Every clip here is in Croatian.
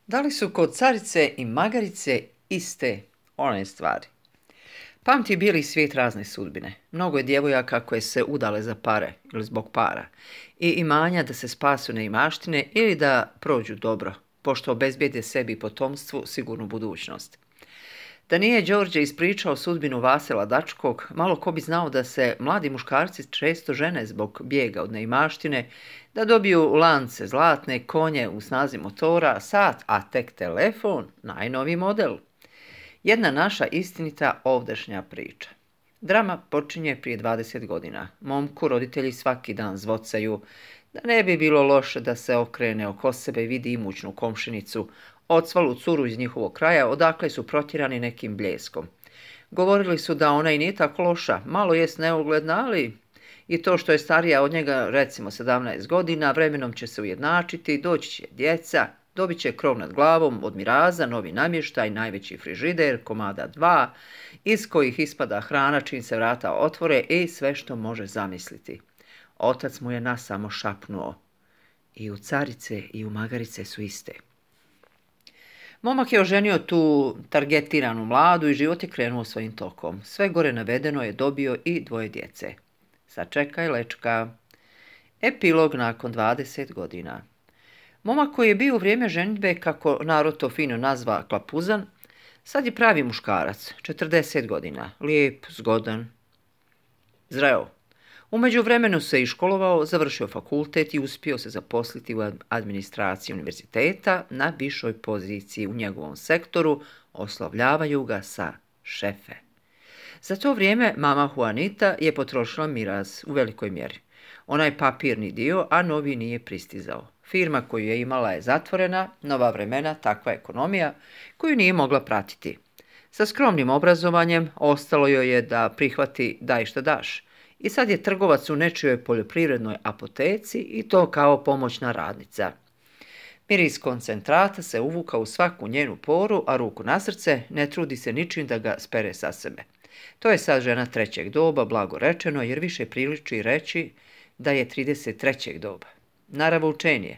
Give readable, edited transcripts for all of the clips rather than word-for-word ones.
Da li su kod carice i magarice iste one stvari? Pamti bijeli svijet razne sudbine. Mnogo je djevojaka koje se udale za pare ili zbog para i imanja da se spasu neimaštine ili da prođu dobro, pošto obezbijede sebi i potomstvu sigurnu budućnost. Da nije Đorđe ispričao sudbinu Vasila Dačkog, malo ko bi znao da se mladi muškarci često žene zbog bijega od neimaštine, da dobiju lance zlatne, konje u snazi motora, sat, a tek telefon, najnoviji model. Jedna naša istinita ovdašnja priča. Drama počinje prije 20 godina. Momku roditelji svaki dan zvocaju da ne bi bilo loše da se okrene oko sebe i vidi imućnu komšinicu, ocvalu curu iz njihovog kraja, odakle su protjerani nekim bljeskom. Govorili su da ona i nije tako loša, malo jest neugledna, ali i to što je starija od njega, recimo 17 godina, vremenom će se ujednačiti, doći će djeca, dobit će krov nad glavom od miraza, novi namještaj, najveći frižider, komada 2, iz kojih ispada hrana čim se vrata otvore i sve što može zamisliti. Otac mu je nas samo šapnuo. I u carice i u magarice su iste. Momak je oženio tu targetiranu mladu i život je krenuo svojim tokom. Sve gore navedeno je dobio i 2 djece. Sačekaj lečka. Epilog nakon 20 godina. Momak koji je bio u vrijeme ženidbe, kako narod to fino nazva, klapuzan, sad je pravi muškarac, 40 godina, lijep, zgodan, zreo. U međuvremenu se i školovao, završio fakultet i uspio se zaposliti u administraciji univerziteta na višoj poziciji u njegovom sektoru, oslovljavaju ga sa šefe. Za to vrijeme mama Juanita je potrošila miraz u velikoj mjeri. Onaj papirni dio, a novi nije pristizao. Firma koju je imala je zatvorena, nova vremena, takva ekonomija koju nije mogla pratiti. Sa skromnim obrazovanjem ostalo joj je da prihvati daj šta daš. I sad je trgovac u nečijoj poljoprivrednoj apoteci i to kao pomoćna radnica. Miris koncentrata se uvuka u svaku njenu poru, a ruku na srce ne trudi se ničim da ga spere sa sebe. To je sad žena 3. doba, blago rečeno, jer više priliči reći da je 33. doba. Naravoučenje.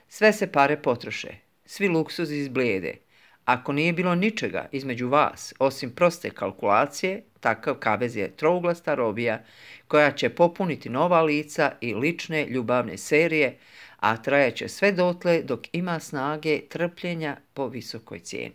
Sve se pare potroše, svi luksuzi izblijede. Ako nije bilo ničega između vas, osim proste kalkulacije, takav kavez je trouglasta robija koja će popuniti nova lica i lične ljubavne serije, a trajaće sve dotle dok ima snage trpljenja po visokoj cijeni.